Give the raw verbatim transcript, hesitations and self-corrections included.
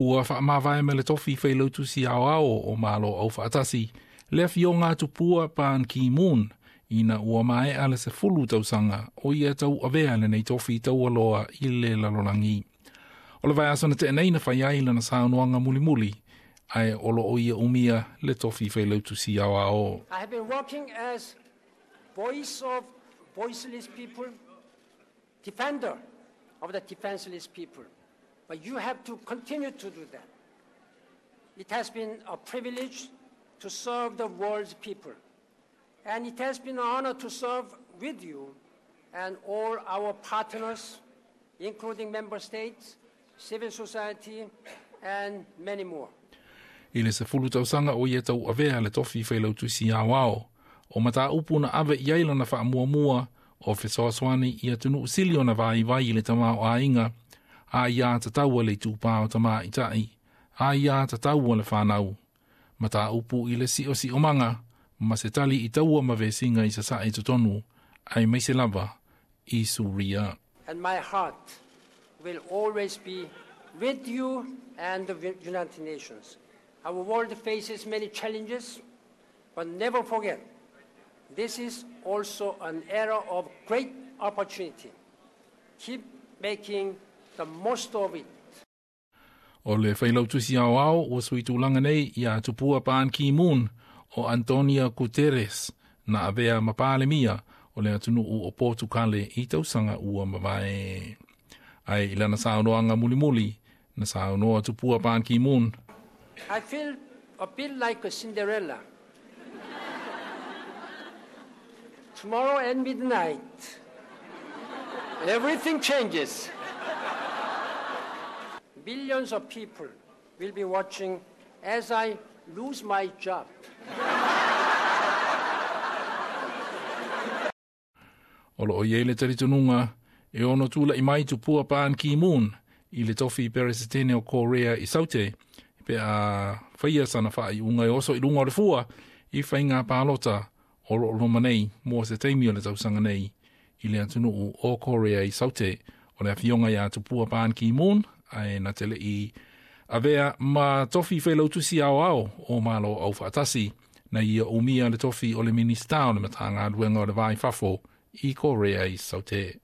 Ua whaamavae me le tofi Failautusi Aoao o Malo Aufaatasi, le afioga tupua Ban Ki-moon, ina ua maea le sefulu tausaga o ia tauavea lenei tofi taualoa i le lalolagi. O le vaiaso na tea nei na fai ai lana saunoaga mulimuli, ae o lo o ia umia le tofi Failautusi Aoao. I have been working as voice of voiceless people, defender of the defenseless people. But you have to continue to do that. It has been a privilege to serve the world's people. And it has been an honor to serve with you and all our partners, including member states, civil society, and many more. I le sefulu tausaga o ia tauavea le tofi Failautusi Aoao, o mataupu na ave i ai lana faamuamua o fesoasoani i atunuu sili ona vaivai i le tamaoaiga, aiā tatau a le itupā o tamaitai, aiā tatau a le whanau. Mataupu i le siosiomaga, ma se tali i taua ma vesiga i sasae totonu, aemaise lava i Suria. And my heart will always be with you and the United Nations. Our world faces many challenges, but never forget, this is also an era of great opportunity. Keep making the most of it. O le Failautusi Aoao ua sui tulaga nei ia tupua Ban Ki-moon o Antonio Guterres na avea ma Palemia o le atunuu o Portukale i tausaga ua mavae. Ae i lana saunoaga mulimuli, na saunoa tupua Ban Ki-moon. I feel a bit like a Cinderella. Tomorrow at midnight, everything changes. Millions of people will be watching as I lose my job. O lo o iai le talitonuga e ono tula'i mai tupua Ban Ki-moon i le tofi Peresetene o Korea i Saute, pe a faia sana faaiuga e oso i luga o le fua i faiga palota o lo o loma nei mo se taimi o le tausaga nei i le atunuu o Korea i Saute. O le afioga ia tupua Ban Ki-moon ae na te le'i avea ma tofi Failautusi Aoao o Malo Aufaatasi na ia umia le tofi o le Minista o le Matagaluega o le Va i Fafo i Korea i Saute.